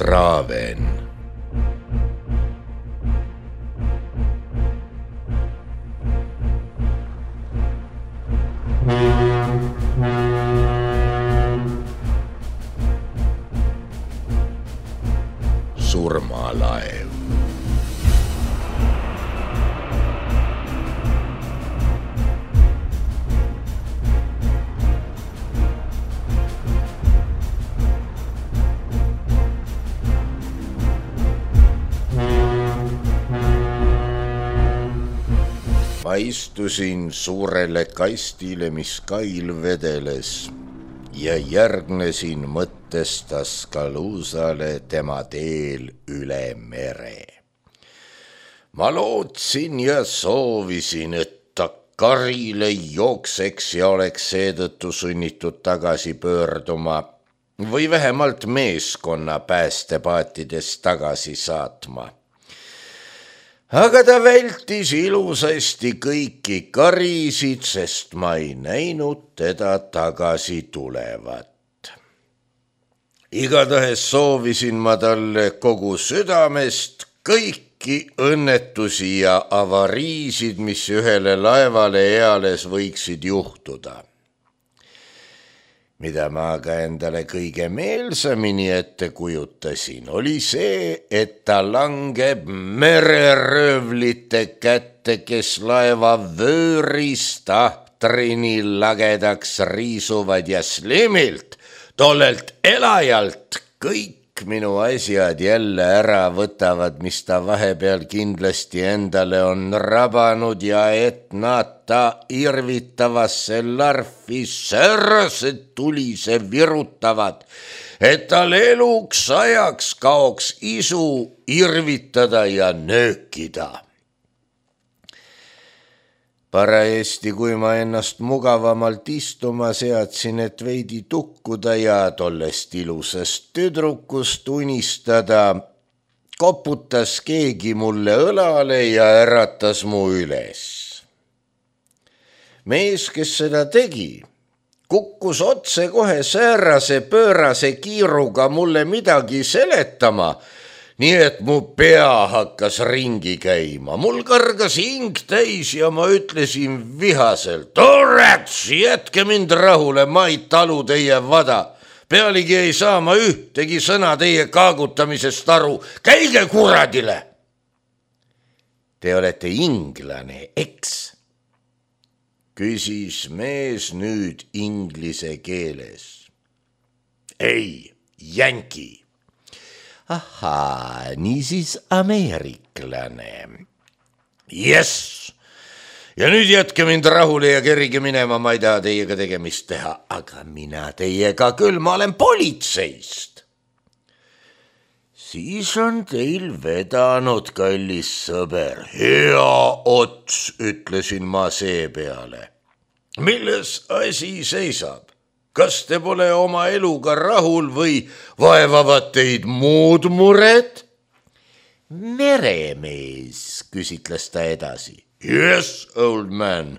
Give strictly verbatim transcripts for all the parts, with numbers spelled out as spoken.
Raven. Surmalaev. Ma istusin suurele kastile, mis kail vedeles ja järgnesin mõttes Tuscaloosalle tema teel üle mere. Ma lootsin ja soovisin, et ta karile jookseks ja oleks seetõttu sunnitud tagasi pöörduma või vähemalt meeskonna päästepaatides tagasi saatma. Aga ta vältis ilusasti kõiki karisid, sest ma ei näinud teda tagasi tulevat. Igatahes soovisin ma talle kogu südamest kõiki õnnetusi ja avariisid, mis ühele laevale eales võiksid juhtuda. Mida ma aga endale kõige meelsamini ette kujutasin, oli see, et ta langeb mereröövlite kätte, kes laeva vöörist ahtrini lagedaks riisuvad ja slimilt, tollelt elajalt kõik minu asjad jälle ära võtavad, mis ta vahepeal kindlasti endale on rabanud ja et nad ta irvitavasse larfi sörse tulise virutavad, et tal eluks ajaks kaoks isu irvitada ja nöökida. Parajasti, kui ma ennast mugavamalt istuma seadsin, et veidi tukkuda ja tollest ilusast tüdrukust unistada, koputas keegi mulle õlale ja äratas mu üles. Mees, kes seda tegi, kukkus otse kohe säärase pöörase kiiruga mulle midagi seletama, nii et mu pea hakkas ringi käima. Mul kargas hing täis ja ma ütlesin vihaselt: "Orats, jätke mind rahule, ma ei talu teie vada. Pealegi ei saa ma ühtegi sõna teie kaagutamisest aru. Käige kuradile!" "Te olete inglane, eks?" küsis mees nüüd inglise keeles. "Ei, jänki." "Ahaa, niisiis ameeriklane." "Jess, ja nüüd jätke mind rahule ja kerige minema, ma ei taha teiega tegemist teha." "Aga mina teiega küll, ma olen politseist." "Siis on teil vedanud, kallis sõber." "Hea ots," ütlesin ma seepeale. "Milles asi seisab? Kas te pole oma eluga rahul või vaevavad teid muud mured?" "Meremees," küsitles ta edasi. "Yes, old man.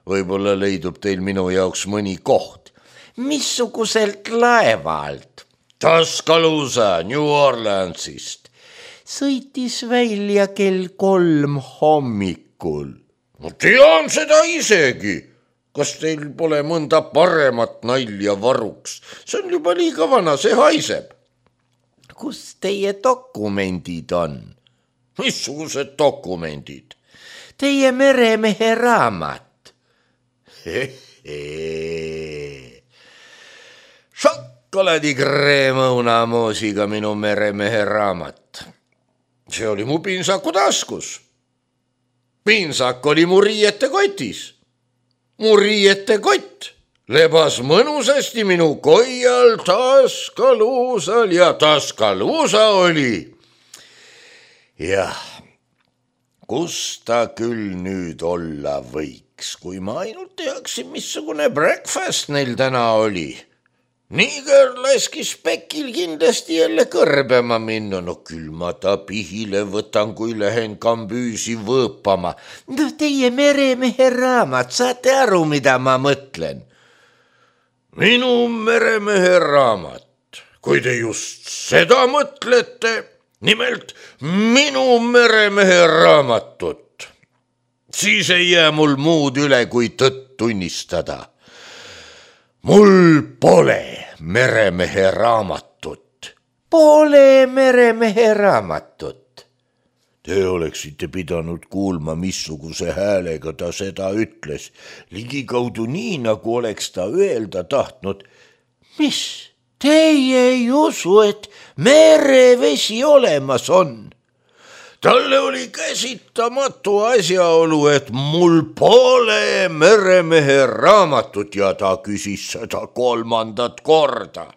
Võib-olla leidub teil minu jaoks mõni koht." "Missuguselt laevalt?" "Tuscaloosa, New Orleansist." "Sõitis välja kell kolm hommikul." "Ma tean seda isegi. Kas teil pole mõnda paremat nalja varuks? See on juba liiga vana, see haiseb." "Kus teie dokumendid on?" "Missugused dokumendid?" "Teie meremehe raamat." "Hehe. Šokolaadikreem õunamoosiga minu meremehe raamat. See oli mu piinsaku taskus. Piinsak oli mu riiete kotis. Mu riiete kott lebas mõnusasti minu koial Tuscaloosal ja Tuscaloosa oli. Jah, kus ta küll nüüd olla võiks, kui ma ainult teaksin, missugune breakfast neil täna oli. Niiger laskis Pekil kindlasti jälle kõrbema minna. No küll ma ta pihile võtan, kui lähen kambüüsi võõpama. No teie meremehe raamat, saate aru, mida ma mõtlen? Minu meremehe raamat. kui te just seda mõtlete, nimelt minu meremehe raamatut, siis ei jää mul muud üle, kui tõtt tunnistada. Mul pole meremehe raamatut. Pole meremehe raamatut. Te oleksite pidanud kuulma, missuguse häälega ta seda ütles. Ligikaudu nii, nagu oleks ta öelda tahtnud. Mis? Teie ei usu, et merevesi olemas on? Talle oli käsitamatu asjaolu, et mul pole meremehe raamatut ja ta küsis seda kolmandat korda.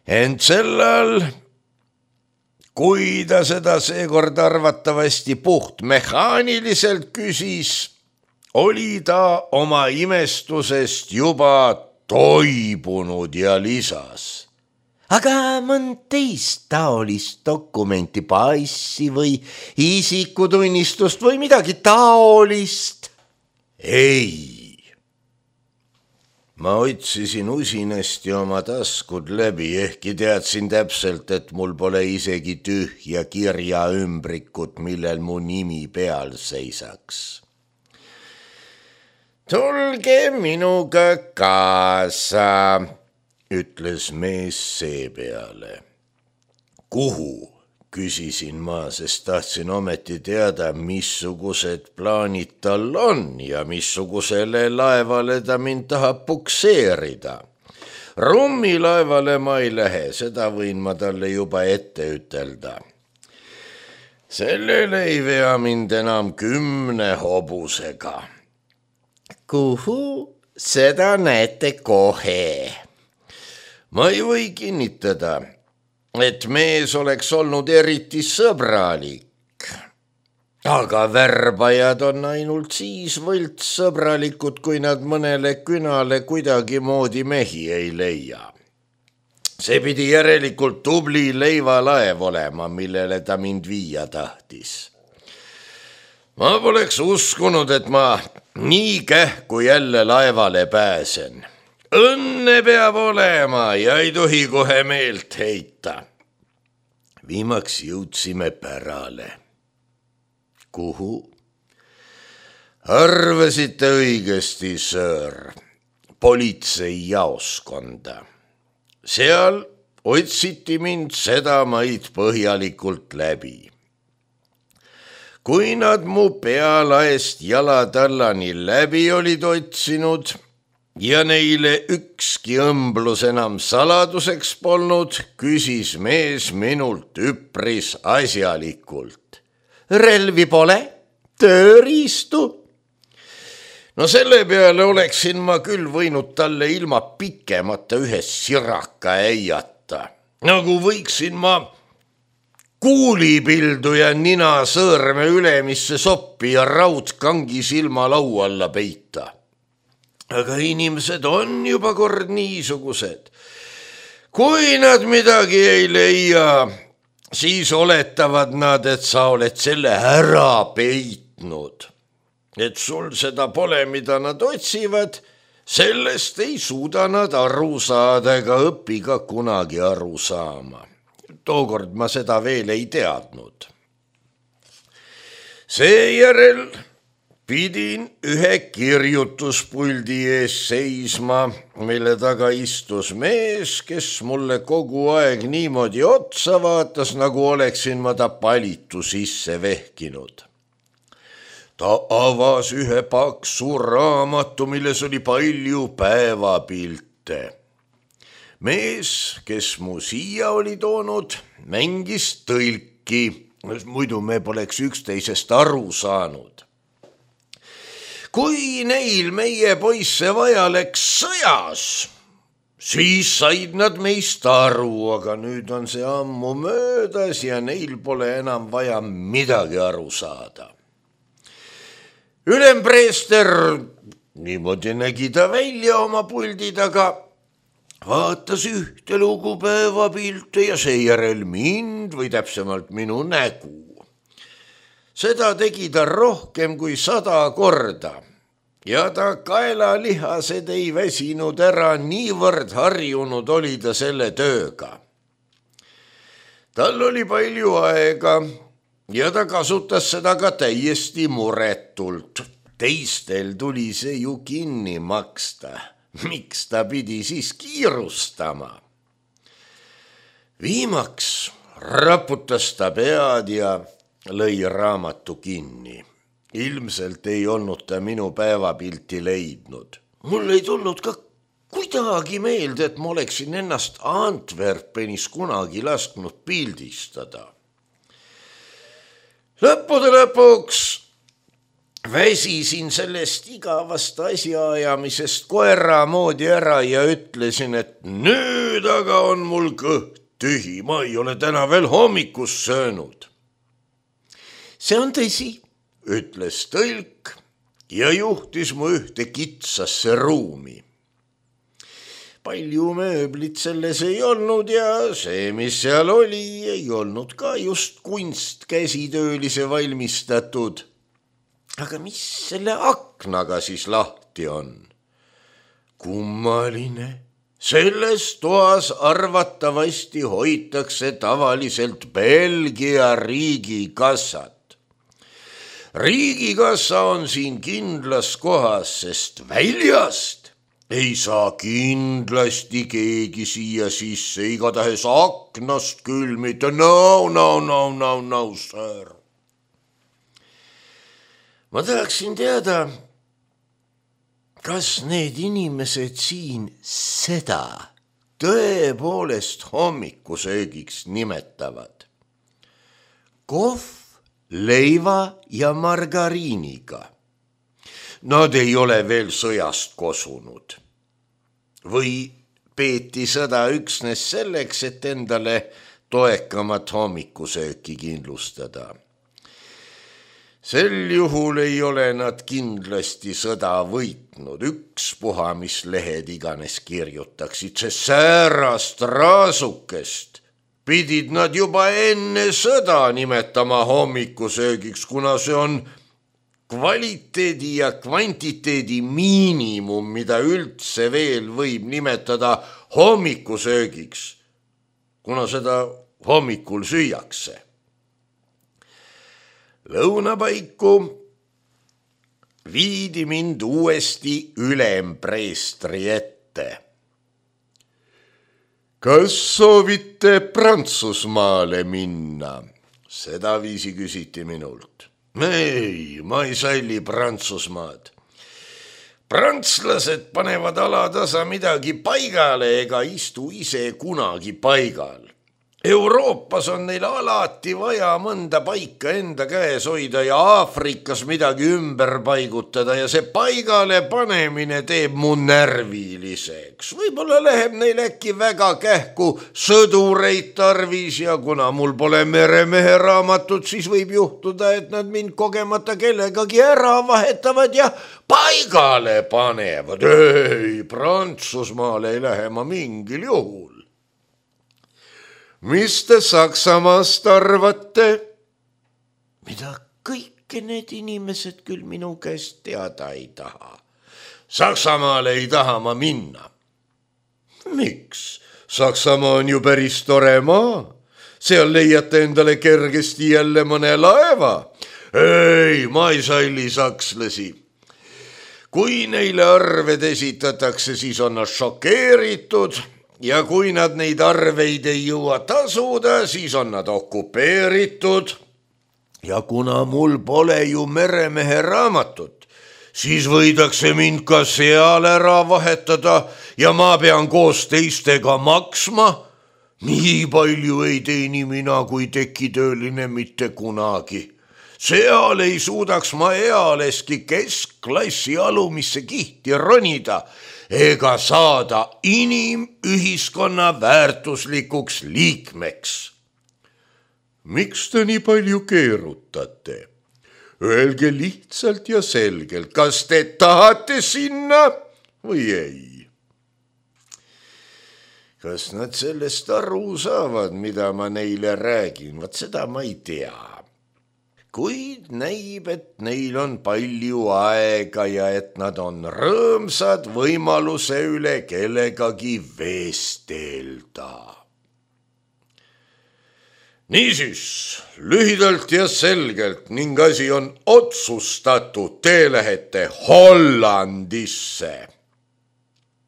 Ent sellal, kui ta seda seekord arvatavasti puht mehaaniliselt küsis, oli ta oma imestusest juba toibunud ja lisas. Aga mõnd teist taolist dokumenti, passi või isikutunnistust või midagi taolist? Ei. Ma otsisin usinasti oma taskud läbi, ehkki teadsin täpselt, et mul pole isegi tühja kirja ümbrikut, millel mu nimi peal seisaks. Tulge minuga kaasa, ütles mees seepeale. Kuhu? Küsisin ma, sest tahtsin ometi teada, missugused plaanid tal on ja missugusele laevale ta mind tahab pukseerida. Rummilaevale ma ei lähe, seda võin ma talle juba ette ütelda. Sellele ei vea mind enam kümne hobusega. Kuhu? Seda näete kohe. Ma ei või kinnitada, et mees oleks olnud eriti sõbralik, aga värbajad on ainult siis võltssõbralikud, kui nad mõnele künale kuidagi moodi mehi ei leia. See pidi järelikult tubli leivalaev olema, millele ta mind viia tahtis. Ma poleks uskunud, et ma nii kähku jälle laevale pääsen. Õnne peab olema ja ei tohi kohe meelt heita. Viimaks jõudsime pärale. Kuhu? Arvasite õigesti, sõõr, politseijaoskonda. Seal otsiti mind sedamaid põhjalikult läbi. Kui nad mu pealaest jalatallani läbi olid otsinud ja neile ükski õmblus enam saladuseks polnud, küsis mees minult üpris asjalikult. Relvi pole? Tööriistu? No selle peale oleksin ma küll võinud talle ilma pikemata ühe siraka äiata. Nagu võiksin ma kuulipildu ja nina sõõrme ülemisse soppi ja raudkangi silma lau alla peita. Aga inimesed on juba kord niisugused. Kui nad midagi ei leia, siis oletavad nad, et sa oled selle ära peitnud. Et sul seda pole, mida nad otsivad, sellest ei suuda nad aru saada ega õpi ka kunagi aru saama. Tookord ma seda veel ei teadnud. Seejärel pidin ühe kirjutuspuldi ees seisma, mille taga istus mees, kes mulle kogu aeg niimoodi otsa vaatas, nagu oleksin ma ta palitu sisse vehkinud. Ta avas ühe paksu raamatu, milles oli palju päevapilte. Mees, kes mu siia oli toonud, mängis tõlki, muidu me poleks üksteisest aru saanud. Kui neil meie poisse vaja läks sõjas, siis said nad meist aru, aga nüüd on see ammu möödas ja neil pole enam vaja midagi aru saada. Ülempreester, niimoodi nägi ta välja oma puldi taga, vaatas ühte lugu päevapilte ja seejärel mind või täpsemalt minu nägu. Seda tegi ta rohkem kui sada korda ja ta kaelalihased ei väsinud ära, niivõrd harjunud oli ta selle tööga. Tal oli palju aega ja ta kasutas seda ka täiesti muretult. Teistel tuli see ju kinni maksta. Miks ta pidi siis kiirustama? Viimaks raputas ta pead ja lõi raamatu kinni. Ilmselt ei olnud ta minu päevapilti leidnud. Mul ei tulnud ka kuidagi meelde, et ma oleksin ennast Antwerpenis kunagi lasknud pildistada. Lõppude lõpuks väsisin sellest igavast asjaajamisest koera moodi ära ja ütlesin, et nüüd aga on mul kõht tühi, ma ei ole täna veel hommikust söönud. See on tõsi, ütles tõlk ja juhtis mu ühte kitsasse ruumi. Palju mööblit selles ei olnud ja see, mis seal oli, ei olnud ka just kunst käsitöölise valmistatud. Aga mis selle aknaga siis lahti on? Kummaline. Selles toas arvatavasti hoitakse tavaliselt Belgia riigikassat. Riigikassa on siin kindlas kohas, sest väljast ei saa kindlasti keegi siia sisse, igatahes aknast küll mitte. No, no, no, no, no, sir. Ma tahaksin teada, kas need inimesed siin seda tõepoolest hommikusöögiks nimetavad? Kohv, leiva ja margariiniga. Nad ei ole veel sõjast kosunud. Või peeti sõda üksnes selleks, et endale toekamat hommikusööki kindlustada. Sel juhul ei ole nad kindlasti sõda võitnud, ükspuha, mis lehed iganes kirjutaksid, sest säärast raasukest pidid nad juba enne sõda nimetama hommikusöögiks, kuna see on kvaliteedi ja kvantiteedi miinimum, mida üldse veel võib nimetada hommikusöögiks, kuna seda hommikul süüakse. Lõunapaiku viidi mind uuesti ülempreestri ette. Kas soovite Prantsusmaale minna? Seda viisi küsiti minult. Ei, ma ei salli Prantsusmaad. Prantslased panevad alatasa midagi paigale ega istu ise kunagi paigal. Euroopas on neil alati vaja mõnda paika enda käes hoida ja Aafrikas midagi ümber paigutada ja see paigale panemine teeb mu närviliseks. Võib-olla läheb neil äkki väga kähku sõdureid tarvis ja kuna mul pole meremehe raamatut, siis võib juhtuda, et nad mind kogemata kellegagi ära vahetavad ja paigale panevad. Ei, Prantsusmaale ei lähe ma mingil juhul. Mis te Saksamaast arvate? Mida kõike need inimesed küll minu käest teada ei taha. Saksamaale ei taha ma minna. Miks? Saksamaa on ju päris tore maa. Seal leiate endale kergesti jälle mõne laeva. Ei, ma ei salli sakslasi. Kui neile arved esitatakse, siis on nad šokeeritud. Ja kui nad neid arveid ei jõua tasuda, siis on nad okupeeritud. Ja kuna mul pole ju meremehe raamatut, siis võidakse mind ka seal ära vahetada ja ma pean koos teistega maksma. Nii palju ei teeni mina kui tekitööline mitte kunagi. Seal ei suudaks ma ealeski keskklassi alumisse kihti ronida ega saada inimühiskonna väärtuslikuks liikmeks. Miks te nii palju keerutate? Öelge lihtsalt ja selgelt, kas te tahate sinna või ei? Kas nad sellest aru saavad, mida ma neile räägin? Vaat seda ma ei tea. kuid näib, et neil on palju aega ja et nad on rõõmsad võimaluse üle kellegagi vestelda. Niisiis, lühidalt ja selgelt ning asi on otsustatud, te lähete Hollandisse,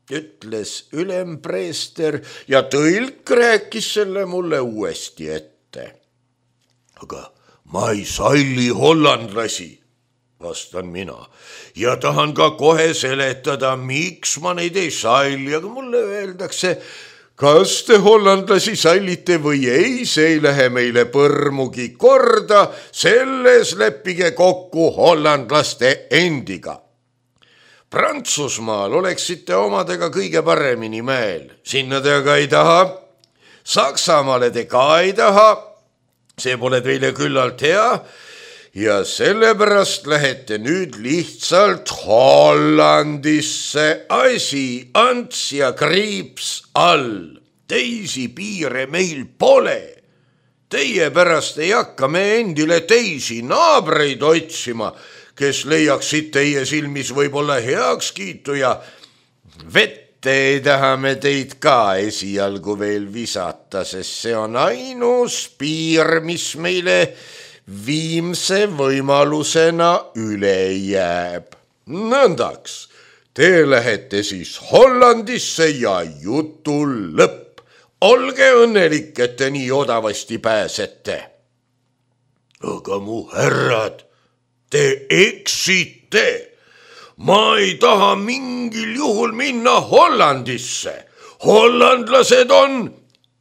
ütles ülempreester ja tõlk rääkis selle mulle uuesti ette. Aga ma ei salli hollandlasi, vastan mina, ja tahan ka kohe seletada, miks ma neid ei salli, aga mulle öeldakse, kas te hollandlasi sallite või ei, see ei lähe meile põrmugi korda, selles leppige kokku hollandlaste endiga. Prantsusmaal oleksite omadega kõige paremini meel, sinna te aga ei taha, Saksamaale te ka ei taha, see pole teile küllalt hea ja sellepärast lähete nüüd lihtsalt Hollandisse, asi ants ja kriips all, teisi piire meil pole. Teie pärast ei hakka me endile teisi naabreid otsima, kes leiaksid teie silmis võib-olla heakskiitu ja vette ei taha me teid ka esialgu veel visata, sest see on ainus piir, mis meile viimse võimalusena üle jääb. Nõndaks, te lähete siis Hollandisse ja jutul lõpp. Olge õnnelik, et te nii odavasti pääsete. Aga mu härrad, te eksite. Ma ei taha mingil juhul minna Hollandisse. Hollandlased on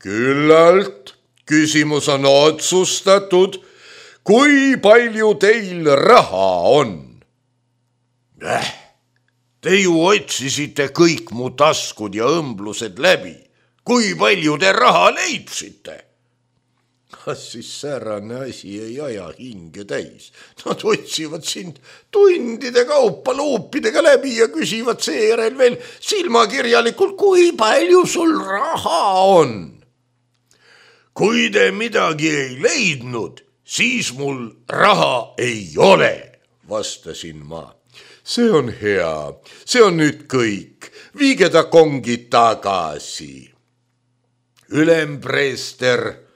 küllalt. Küsimus on otsustatud. Kui palju teil raha on? Äh, te ju otsisite kõik mu taskud ja õmblused läbi. Kui palju te raha leidsite? Kas siis säärane asi ei aja hinge täis? Nad otsivad sind tundide kaupa luupidega läbi ja küsivad seejärel veel silmakirjalikult, kui palju sul raha on. Kui te midagi ei leidnud, siis mul raha ei ole, vastasin ma. See on hea, see on nüüd kõik, viige ta kongi tagasi. Ülempreester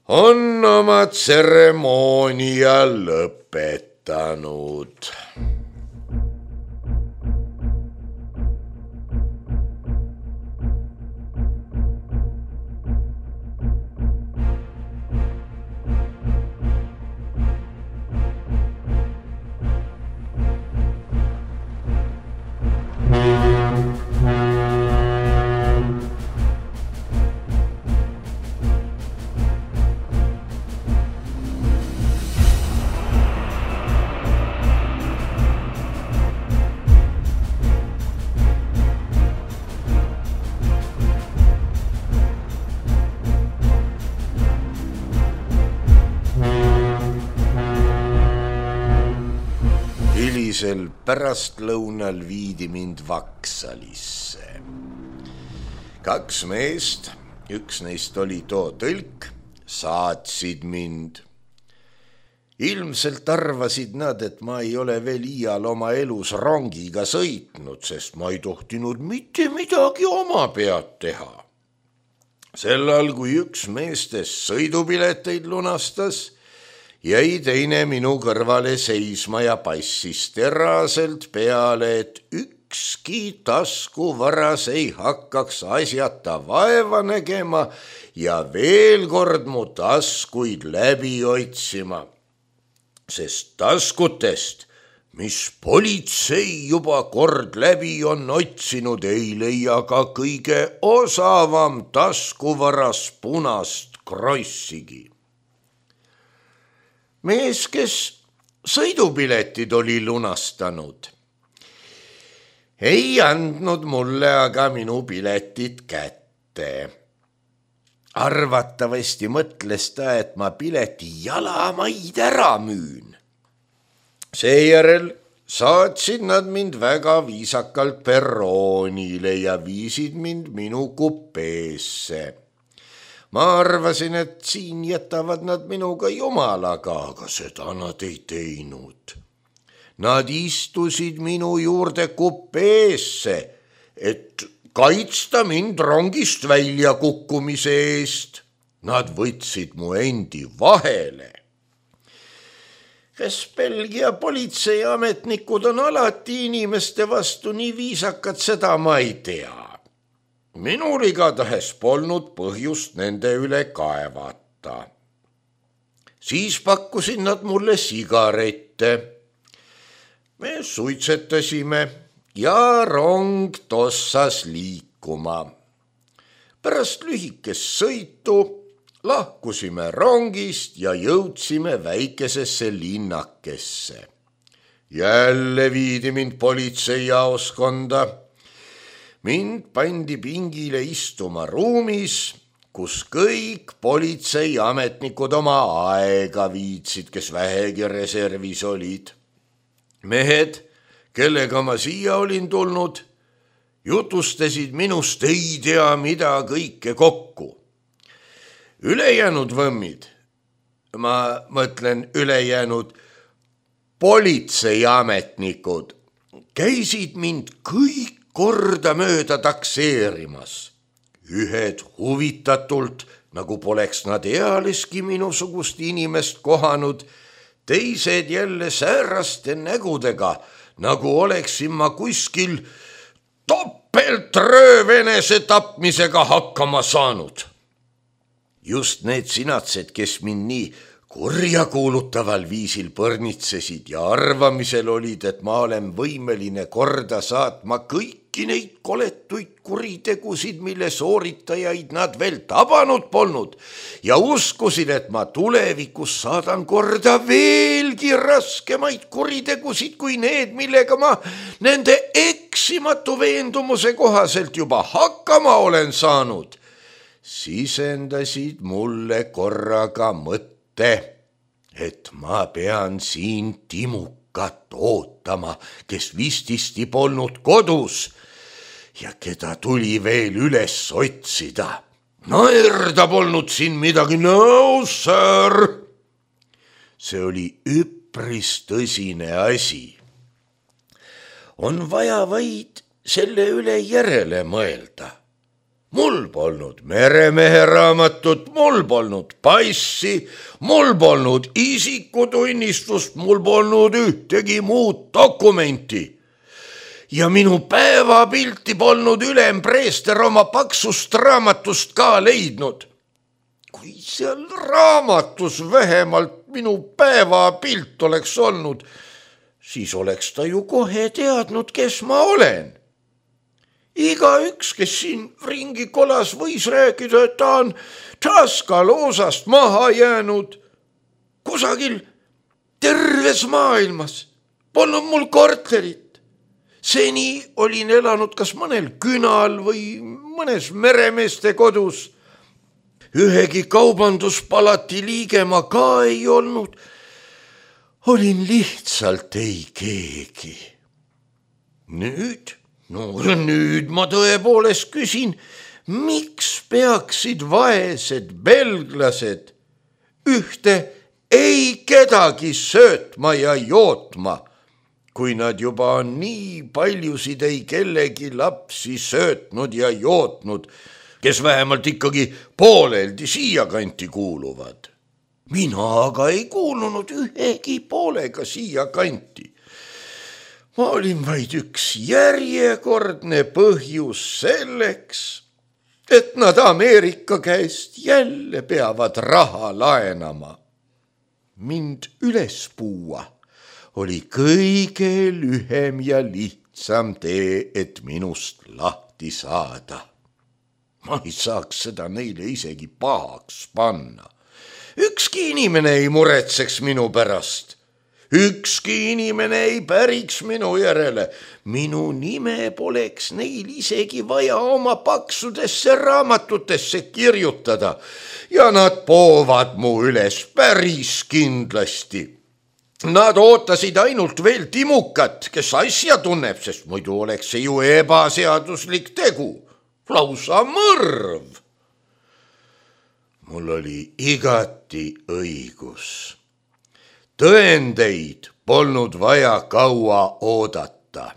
on oma tseremoonia lõpetanud. Hilisel pärastlõunal viidi mind Vaksalisse. Kaks meest, üks neist oli too tõlk, saatsid mind. Ilmselt arvasid nad, et ma ei ole veel iial oma elus rongiga sõitnud, sest ma ei tohtinud mitte midagi oma pead teha. Sellal, kui üks meestest sõidupileteid lunastas, jäi teine minu kõrvale seisma ja passis teraselt peale, et ükski taskuvaras ei hakkaks asjata vaeva nägema ja veel kord mu taskuid läbi otsima. Sest taskutest, mis politsei juba kord läbi on otsinud, ei leia ka kõige osavam taskuvaras punast krossigi. Mees, kes sõidupiletid oli lunastanud, ei andnud mulle aga minu piletit kätte. Arvatavasti mõtles ta, et ma pileti jalamaid ära müün. Seejärel saatsid nad mind väga viisakalt perroonile ja viisid mind minu kupeesse. ma arvasin, et siin jätavad nad minuga jumalaga, aga seda nad ei teinud. Nad istusid minu juurde kupeesse, et kaitsta mind rongist välja kukkumise eest. Nad võtsid mu endi vahele. Kas Belgia politseiametnikud on alati inimeste vastu nii viisakad, seda ma ei tea. Minul igatahes polnud põhjust nende üle kaevata. Siis pakkusid nad mulle sigarette. Me suitsetasime ja rong tossas liikuma. Pärast lühikest sõitu lahkusime rongist ja jõudsime väikesesse linnakesse. Jälle viidi mind politseijaoskonda. Mind pandi pingile istuma ruumis, kus kõik politseiametnikud oma aega viitsid, kes vähegi reservis olid. Mehed, kellega ma siia olin tulnud, jutustasid minust ei tea mida kõike kokku. Ülejäänud võmmid, ma mõtlen ülejäänud politseiametnikud, käisid mind kõik korda mööda takseerimas. Ühed huvitatult, nagu poleks nad ealeski minusugust inimest kohanud, teised jälle sääraste nägudega, nagu oleksin ma kuskil topeltröövenese tapmisega hakkama saanud. Just need sinatsed, kes mind nii kurjakuulutaval viisil põrnitsesid ja arvamisel olid, et ma olen võimeline korda saatma kõiki neid koletuid kuritegusid, mille sooritajaid nad veel tabanud polnud ja uskusid, et ma tulevikus saadan korda veelgi raskemaid kuritegusid kui need, millega ma nende eksimatu veendumuse kohaselt juba hakkama olen saanud. Sisendasid mulle korraga mõtte, et ma pean siin Timukat ootama, kes vististi polnud kodus ja keda tuli veel üles otsida. Naerda polnud siin midagi, no sir. See oli üpris tõsine asi. On vaja vaid selle üle järele mõelda. Mul polnud meremehe raamatut, mul polnud passi, mul polnud isikutunnistust, mul polnud ühtegi muud dokumenti. Ja minu päevapilti polnud ülempreester oma paksust raamatust ka leidnud. Kui seal raamatus vähemalt minu päevapilt oleks olnud, siis oleks ta ju kohe teadnud, kes ma olen. Iga üks, kes siin ringi kolas, võis rääkida, et ta on Taskaloosast maha jäänud. Kusagil terves maailmas polnud mul korterit. Seni olin elanud kas mõnel künal või mõnes meremeeste kodus. Ühegi kaubanduspalati liige ma ka ei olnud. Olin lihtsalt ei keegi. Nüüd... No nüüd ma tõepoolest küsin, miks peaksid vaesed belglased ühte ei kedagi söötma ja jootma, kui nad juba on nii paljusid ei kellegi lapsi söötnud ja jootnud, kes vähemalt ikkagi pooleldi siia kanti kuuluvad. Mina aga ei kuulunud ühegi poolega siia kanti. Ma olin vaid üks järjekordne põhjus selleks, et nad Ameerika käest jälle peavad raha laenama. Mind üles puua oli kõige lühem ja lihtsam tee, et minust lahti saada. Ma ei saaks seda neile isegi pahaks panna. Ükski inimene ei muretseks minu pärast. Ükski inimene ei päriks minu järele. Minu nime poleks neil isegi vaja oma paksudesse raamatutesse kirjutada ja nad poovad mu üles päris kindlasti. Nad ootasid ainult veel Timukat, kes asja tunneb, sest muidu oleks see ju ebaseaduslik tegu, lausa mõrv. mul oli igati õigus. Tõendeid polnud vaja kaua oodata.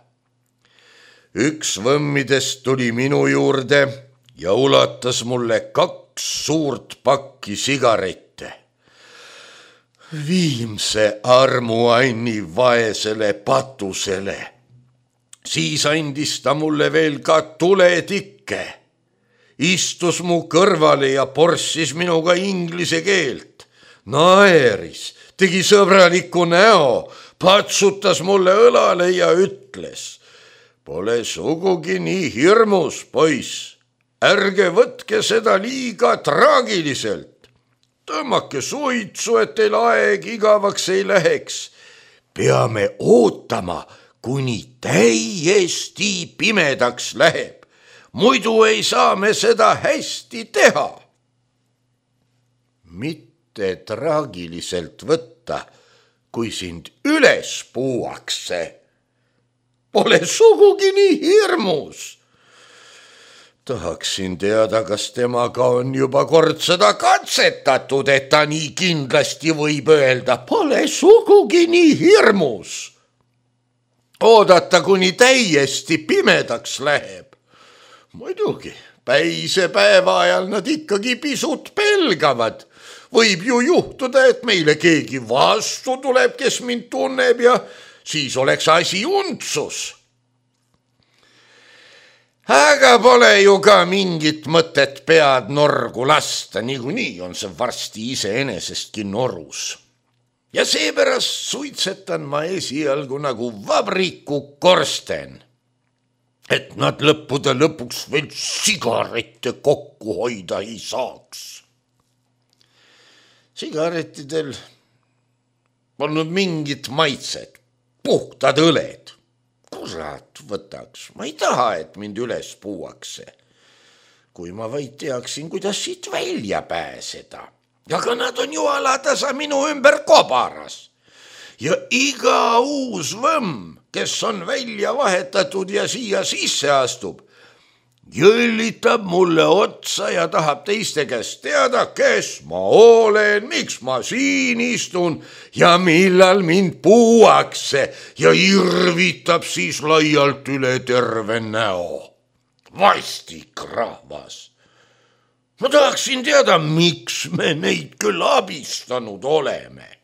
Üks võmmidest tuli minu juurde ja ulatas mulle kaks suurt pakki sigarette. Viimse armuanni vaesele patusele. Siis andis ta mulle veel ka tuletikke. Istus mu kõrvale ja porssis minuga inglise keelt. Naeris, tegi sõbraliku näo, patsutas mulle õlale ja ütles: pole sugugi nii hirmus, poiss. Ärge võtke seda liiga traagiliselt. Tõmmake suitsu, et teil aeg igavaks ei läheks. Peame ootama, kuni täiesti pimedaks läheb. Muidu ei saa me seda hästi teha. Mitte traagiliselt võtta, kui sind üles puuakse. Pole sugugi nii hirmus. Tahaksin teada, kas temaga on juba kord seda katsetatud, et ta nii kindlasti võib öelda: pole sugugi nii hirmus. Oodata, kuni täiesti pimedaks läheb. Muidugi, päise päeva ajal nad ikkagi pisut pelgavad. Võib ju juhtuda, et meile keegi vastu tuleb, kes mind tunneb, ja siis oleks asi untsus. Aga pole ju ka mingit mõtet pead norgu lasta, niikuinii on see varsti iseenesestki norus. Ja seepärast suitsetan ma esialgu nagu vabriku korsten, et nad lõppude lõpuks veel sigarette kokku hoida ei saaks. Sigarettidel polnud mingit maitset, puhtad õled. Kurat võtaks, ma ei taha, et mind üles puuakse. Kui ma vaid teaksin, kuidas siit välja pääseda. Aga nad on ju alatasa minu ümber kobaras. Ja iga uus võmm, kes on välja vahetatud ja siia sisse astub, jõllitab mulle otsa ja tahab teiste käest teada, kes ma olen, miks ma siin istun ja millal mind puuakse, ja irvitab siis laialt üle terve näo. Vastik rahvas. Ma tahaksin teada, miks me neid küll abistanud oleme.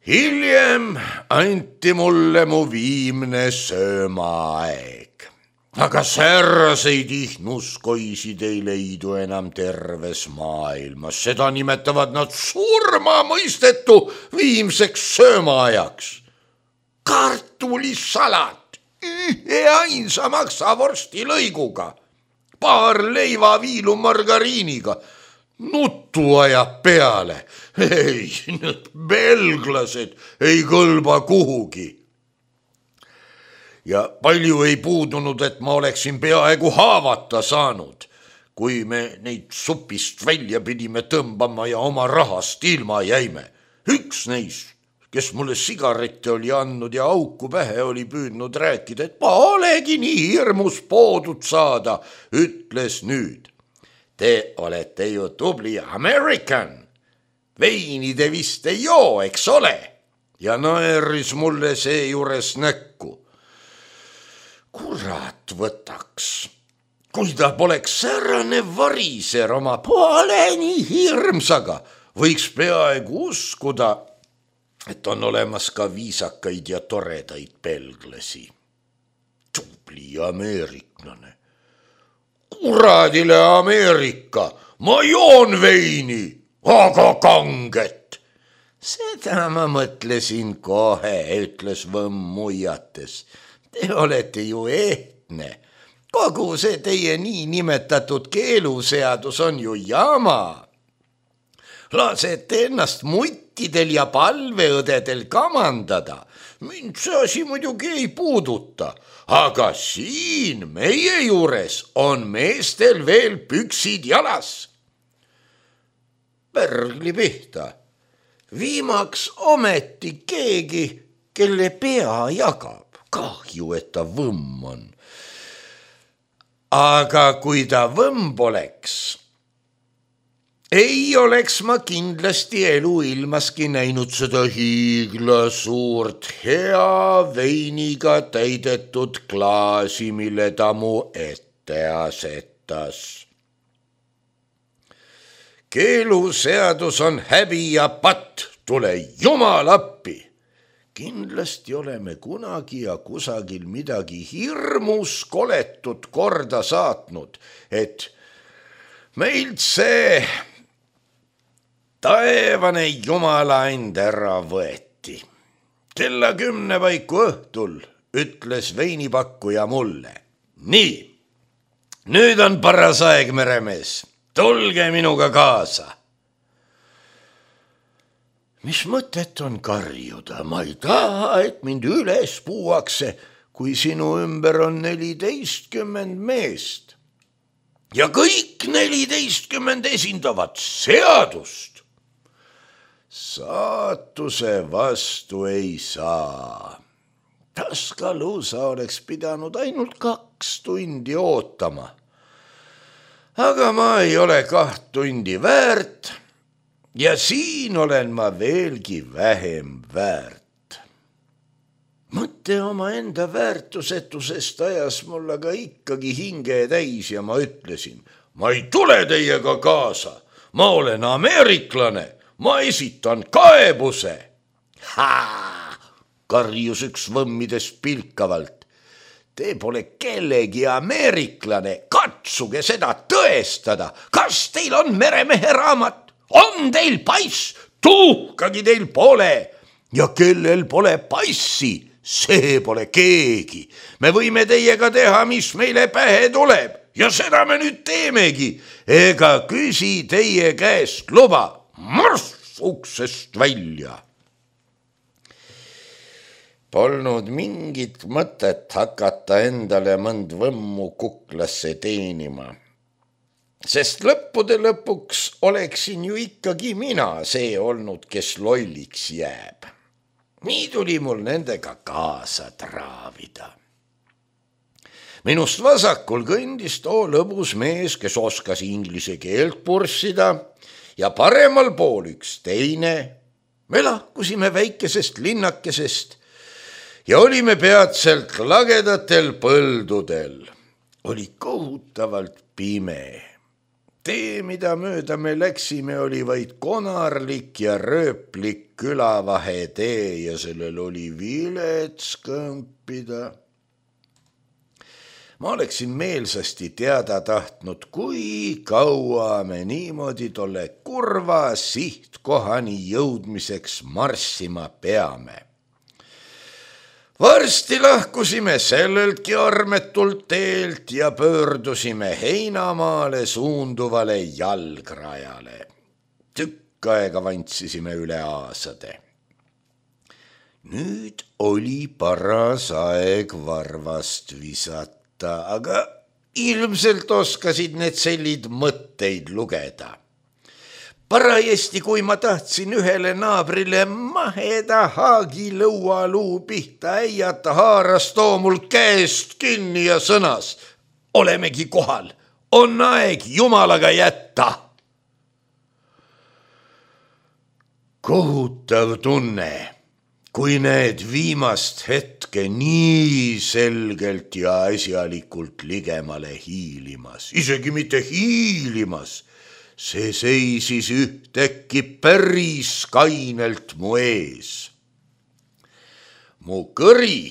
Hiljem anti mulle mu viimne söömaaeg, aga sääraseid ihnuskoisid ei leidu enam terves maailmas. Seda nimetavad nad surmamõistetu viimseks söömaajaks. Kartulisalat ühe ainsa maksavorsti lõiguga, paar leivaviilu margariiniga. Nuttu ajab peale. Ei, need belglased ei kõlba kuhugi. Ja palju ei puudunud, et ma oleksin peaaegu haavata saanud, kui me neid supist välja pidime tõmbama ja oma rahast ilma jäime. Üks neist, kes mulle sigarette oli andnud ja auku pähe oli püüdnud rääkida, et ma olegi nii hirmus poodud saada, ütles nüüd: te olete ju tubli American. Veini te vist ei joo, eks ole? Ja naeris mulle seejuures näkku. Kurat võtaks, kui ta poleks säärane variser oma poole nii hirmsaga, võiks peaaegu uskuda, et on olemas ka viisakaid ja toredaid belglasi. Tubli ameeriklane. Kuradile Ameerika, ma joon veini, aga kanget. Seda ma mõtlesin kohe, ütles võmm muiates. Te olete ju ehtne. Kogu see teie nii nimetatud keeluseadus on ju jama. Lasete ennast muttidel ja palveõdedel kamandada. Mind see asi muidugi ei puuduta, aga siin meie juures on meestel veel püksid jalas. Pärgli pihta. Viimaks ometi keegi, kelle pea jagab. Kahju, et ta võmm on. aga kui ta võmb oleks, ei oleks ma kindlasti eluilmaski näinud seda hiigla suurt hea veiniga täidetud klaasi, mille ta mu ette asetas. Keeluseadus on häbi ja patt, tule jumal appi. Kindlasti oleme kunagi ja kusagil midagi hirmus koletut korda saatnud, et meilt see taevane jumala end ära võeti. Kella kümne paiku õhtul ütles veinipakkuja mulle. Nii, nüüd on paras aeg, meremees, tulge minuga kaasa. Mis mõtet on karjuda? Ma ei taha, et mind üles puuakse, kui sinu ümber on neliteistkümmend meest. Ja kõik neliteistkümmend esindavad seadust. Saatuse vastu ei saa. Tuscaloosa oleks pidanud ainult kaks tundi ootama. Aga ma ei ole kaht tundi väärt. Ja siin olen ma veelgi vähem väärt. Mõte oma enda väärtusetusest ajas mul aga ikkagi hinge täis ja ma ütlesin, ma ei tule teiega kaasa, ma olen ameeriklane, ma esitan kaebuse. Haa, karjus üks võmmides pilkavalt. Te pole kellegi ameeriklane, katsuge seda tõestada, kas teil on meremehe raamat? On teil pass? Tuhkagi teil pole. Ja kellel pole passi, see pole keegi. Me võime teiega teha, mis meile pähe tuleb. Ja seda me nüüd teemegi. Ega küsi teie käest luba. Marss uksest välja. Polnud mingit mõtet hakata endale mõnd võmmu kuklasse teenima. Sest lõppude lõpuks oleksin ju ikkagi mina see olnud, kes lolliks jääb. Nii tuli mul nendega kaasa traavida. Minust vasakul kõndis too lõbus mees, kes oskas inglise keelt purssida ja paremal pool üks teine. Me lahkusime väikesest linnakesest ja olime peatselt lagedatel põldudel. Oli kohutavalt pime. Tee, mida mööda me läksime, oli vaid konarlik ja rööplik külavahe tee ja sellel oli vilets kõmpida. Ma oleksin meelsasti teada tahtnud, kui kaua me niimoodi tolle kurva sihtkohani jõudmiseks marssima peame. Varsti lahkusime selleltki armetult teelt ja pöördusime heinamaale suunduvale jalgrajale. Tükk aega vantsisime üle aasade. Nüüd oli paras aeg varvast visata, aga ilmselt oskasid need sellid mõtteid lugeda. Parajasti, kui ma tahtsin ühele naabrile maheda haagilõualuu pihta äiata, haaras too mul käest kinni ja sõnas, olemegi kohal, on aeg jumalaga jätta. Kohutav tunne, kui näed viimast hetke nii selgelt ja asjalikult ligemale hiilimas, isegi mitte hiilimas, see seisis ühtäkki päris kainelt mu ees. Mu kõri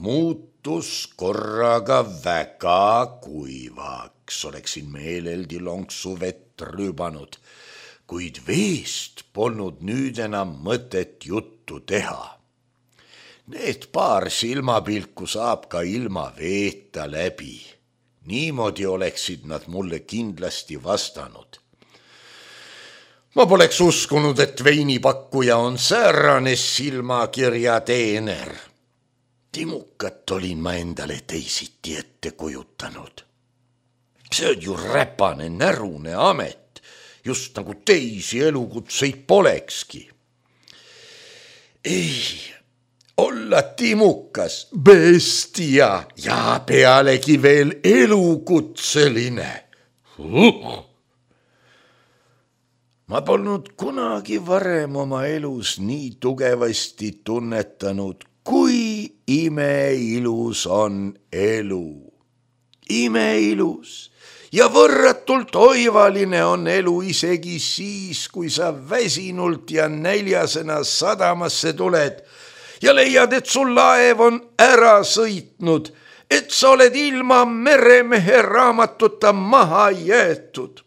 muutus korraga väga kuivaks, oleksin meeleldi lonksu vett rüübanud, kuid veest polnud nüüd enam mõtet juttu teha. Need paar silmapilku saab ka ilma veeta läbi. Niimoodi oleksid nad mulle kindlasti vastanud. Ma poleks uskunud, et veinipakkuja on säärane silmakirja teener. Timukat olin ma endale teisiti ette kujutanud. See on ju räpane, närune amet, just nagu teisi elukutseid polekski. Ei, olla olla timukas, bestia ja pealegi veel elukutseline. Uh. Ma polnud kunagi varem oma elus nii tugevasti tunnetanud, kui imeilus on elu. Imeilus ja võrratult oivaline on elu isegi siis, kui sa väsinult ja näljasena sadamasse tuled ja leiad, et sul laev on ära sõitnud, et sa oled ilma meremehe raamatuta maha jäetud.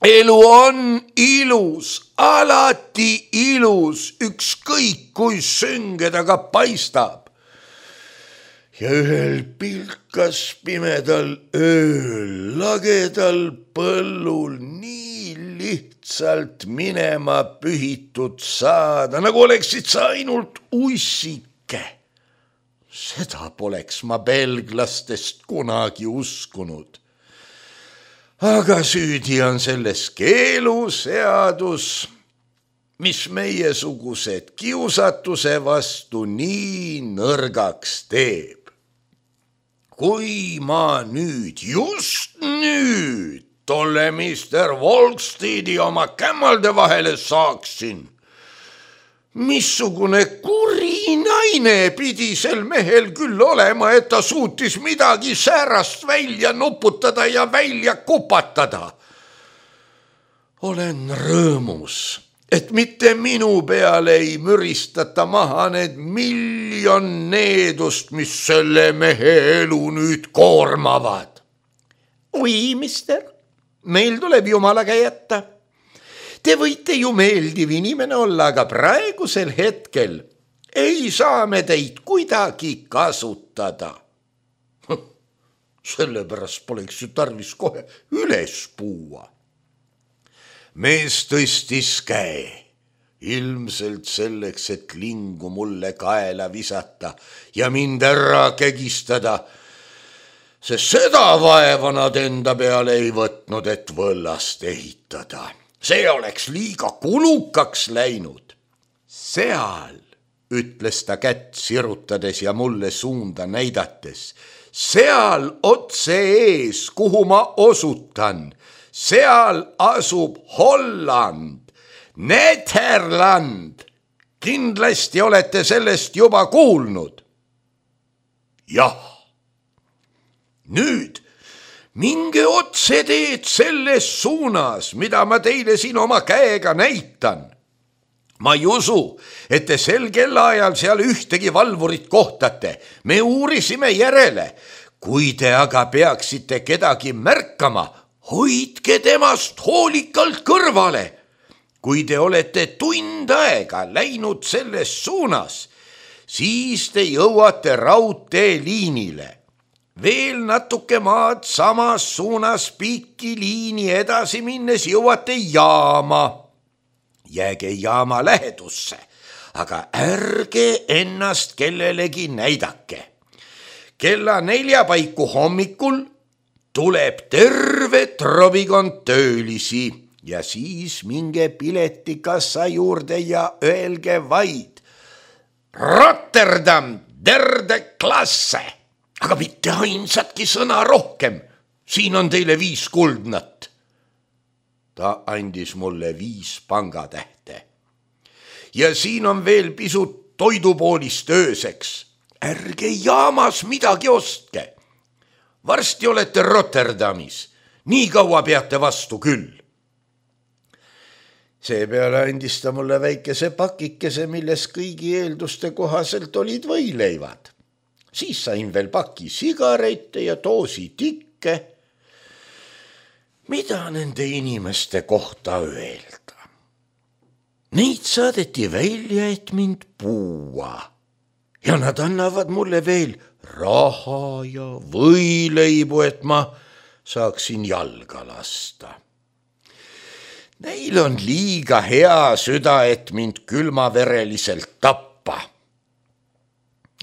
Elu on ilus, alati ilus, ükskõik kui sünge ta ka paistab. Ja ühel pilkas pimedal ööl, lagedal põllul nii lihtsalt minema pühitud saada, nagu oleksid sa ainult ussike. Seda poleks ma belglastest kunagi uskunud. Aga süüdi on selles keeluseadus, mis meiesugused kiusatuse vastu nii nõrgaks teeb. Kui ma nüüd, just nüüd, tolle mister Volkstidi oma kämmalde vahele saaksin, missugune kuri naine pidi sel mehel küll olema, et ta suutis midagi säärast välja nuputada ja välja kupatada. Olen rõõmus, et mitte minu peale ei müristata maha need miljon needust, mis selle mehe elu nüüd koormavad. Oi, mister, meil tuleb jumalaga jätta. Te võite ju meeldiv inimene olla, aga praegusel hetkel ei saa me teid kuidagi kasutada. Sellepärast poleks ju tarvis kohe üles puua. Mees tõstis käe, ilmselt selleks, et lingu mulle kaela visata ja mind ära kägistada, sest seda vaeva nad enda peale ei võtnud, et võllast ehitada. See oleks liiga kulukaks läinud. Seal, ütles ta kätt sirutades ja mulle suunda näidates, seal otse ees, kuhu ma osutan, seal asub Holland, Nederland. Kindlasti olete sellest juba kuulnud. Jah. Nüüd minge otse teed selles suunas, mida ma teile siin oma käega näitan. Ma ei usu, et te sel kellaajal seal ühtegi valvurit kohtate. Me uurisime järele. Kui te aga peaksite kedagi märkama, hoidke temast hoolikalt kõrvale. Kui te olete tund aega läinud selles suunas, siis te jõuate raudteeliinile. Veel natuke maad samas suunas pikki liini edasi minnes jõuate jaama. Jääge jaama lähedusse, aga ärge ennast kellelegi näidake. Kella nelja paiku hommikul tuleb terve trobikond töölisi ja siis minge piletikassa juurde ja öelge vaid Rotterdam, derde klasse, aga mitte ainsatki sõna rohkem. Siin on teile viis kuldnat. Ta andis mulle viis pangatähte. Ja siin on veel pisut toidupoolist ööseks. Ärge jaamas midagi ostke. Varsti olete Rotterdamis. Nii kaua peate vastu küll. Seepeale andis ta mulle väikese pakikese, milles kõigi eelduste kohaselt olid võileivad. Siis sain veel paki sigarette ja doosi tikke. Mida nende inimeste kohta öelda? Neid saadeti välja, et mind puua. Ja nad annavad mulle veel raha ja võileibu, et ma saaksin jalga lasta. Neil on liiga hea süda, et mind külmavereliselt tappa.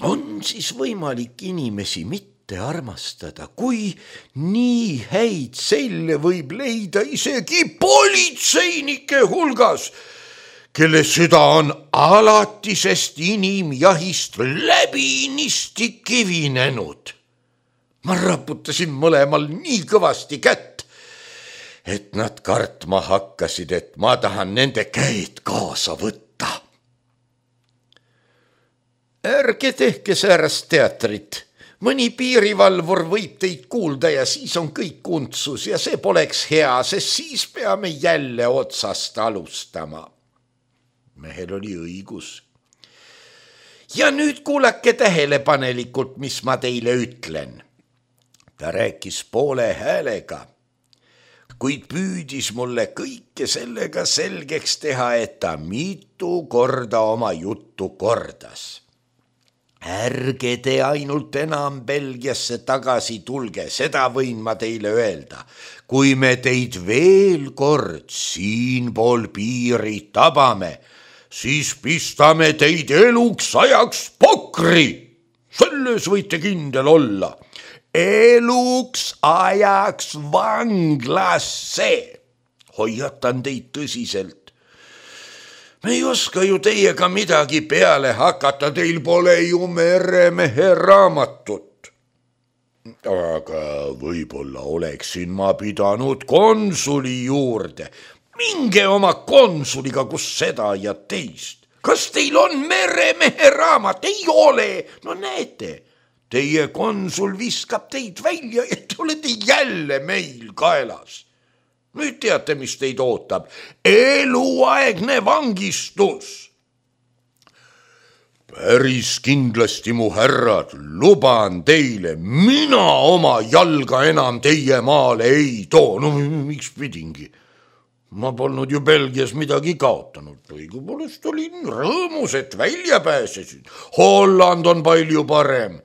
On siis võimalik inimesi mitte armastada, kui nii häid selle võib leida isegi politseinike hulgas, kelle süda on alatisest inimjahist läbinisti kivinenud. Ma raputasin mõlemal nii kõvasti kätt, et nad kartma hakkasid, et ma tahan nende käed kaasa võtta. Ärge tehke säärast teatrit. Mõni piirivalvur võib teid kuulda ja siis on kõik untsus ja see poleks hea, sest siis peame jälle otsast alustama. Mehel oli õigus. Ja nüüd kuulake tähelepanelikult, mis ma teile ütlen. Ta rääkis poole häälega, kuid püüdis mulle kõike sellega selgeks teha, et ta mitu korda oma juttu kordas. Ärge te ainult enam Belgiasse tagasi tulge, seda võin ma teile öelda. Kui me teid veel kord siinpool piiri tabame, siis pistame teid eluks ajaks pokri. Selles võite kindel olla. Eluks ajaks vanglasse. Hoiatan teid tõsiselt. Me ei oska ju teiega midagi peale hakata, teil pole ju meremehe raamatut. Aga võib-olla oleksin ma pidanud konsuli juurde. Minge oma konsuliga, kus seda ja teist. Kas teil on meremehe raamat? Ei ole. No näete, teie konsul viskab teid välja ja te olete jälle meil kaelas. Nüüd teate, mis teid ootab. Eluaegne vangistus. Päris kindlasti, mu härrad, luban teile, mina oma jalga enam teie maale ei too. No miks pidingi? Ma polnud ju Belgias midagi kaotanud. Õigupoolest olin rõõmus, et välja pääsesin. Holland on palju parem.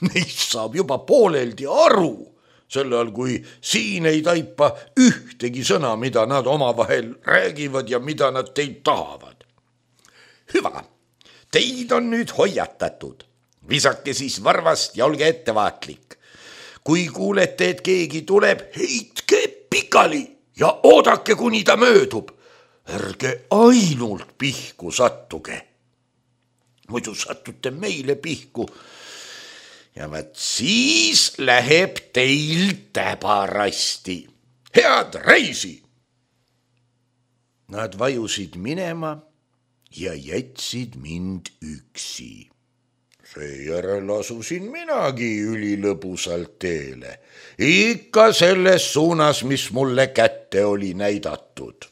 Neist saab juba pooleldi aru. Selle all, kui siin ei taipa ühtegi sõna, mida nad omavahel räägivad ja mida nad teid tahavad. Hüva, teid on nüüd hoiatatud. Visake siis varvast ja olge ettevaatlik. Kui kuulete, et keegi tuleb, heitke pikali ja oodake, kuni ta möödub. Ärge ainult pihku sattuge. Muidu sattute meile pihku. Ja vaat siis läheb teil täbarasti. Head reisi! Nad vajusid minema ja jätsid mind üksi. Seejärel asusin minagi ülilõbusalt teele. Ikka selles suunas, mis mulle kätte oli näidatud.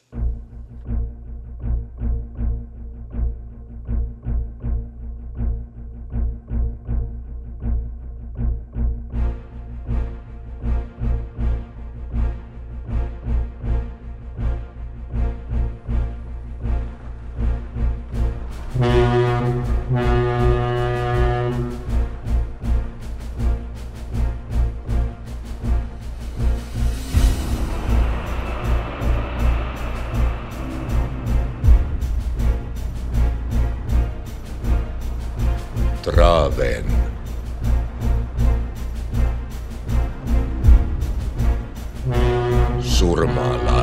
Traven. Surmala.